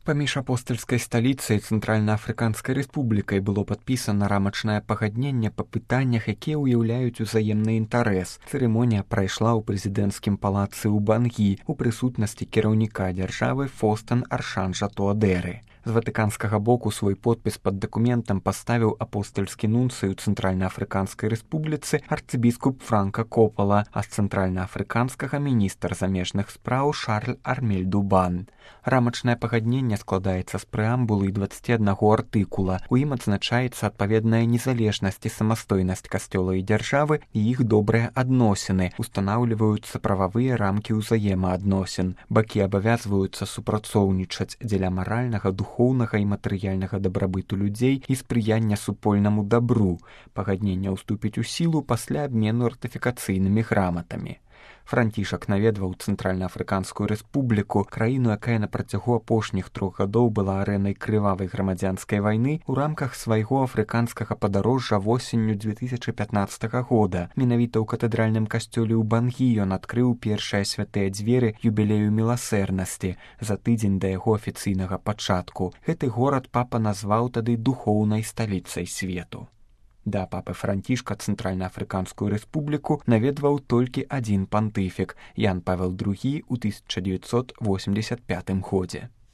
Паміж апостальскай сталіцай і Цэнтральна-Афрыканскай рэспублікай было падпісана рамачнае пагадненне па пытаннях, якія ўяўляюць узаемны інтарэс. Цырымонія прайшла ў прэзідэнцкім палацы ў Бангі у прысутнасці кіраўніка дзяржавы Фостэн Аршанжа Туадэры. З ватыканскага боку свой подпіс пад дакументам паставіў апостальскі нунцый у Цэнтральна-Афрыканскай рэспубліцы арцыбіскуп Франка Копала, а з цэнтральна-афрыканскага міністр замежных спраў Шарль Армель Дубан. Рамачнае пагадненне складаецца з прэамбулы і 21 артыкула. У ім адзначаецца адпаведная незалежнасць і самастойнасць касцёла і дзяржавы і іх добрыя адносіны, устанаўліваюцца прававыя рамкі ўзаемаадносін. Бакі абавязваюцца супрацоўнічаць дзеля маральнага, духоўнага і матэрыяльнага дабрабыту людзей і спрыяння супольнаму дабру. Пагадненне ўступіць у сілу пасля абмену ратыфікацыйнымі граматамі. Францішак наведваў Цэнтральна-Афрыканскую рэспубліку, краіну, якая на працягу апошніх 3 гадоў была арэнай крывавай грамадзянскай вайны, у рамках свайго афрыканскага падарожжа восенню 2015 года. Менавіта ў катэдральным касцёле ў Бангі ён адкрыў першыя святыя дзверы юбілею міласэрнасці за тыдзень да яго афіцыйнага пачатку. Гэты горад папа назваў тады духоўнай сталіцай свету. Да папы Францішка Цэнтральна-Афрыканскую рэспубліку наведваў толькі адзін пантыфік – Ян Павел II ў 1985 годзе.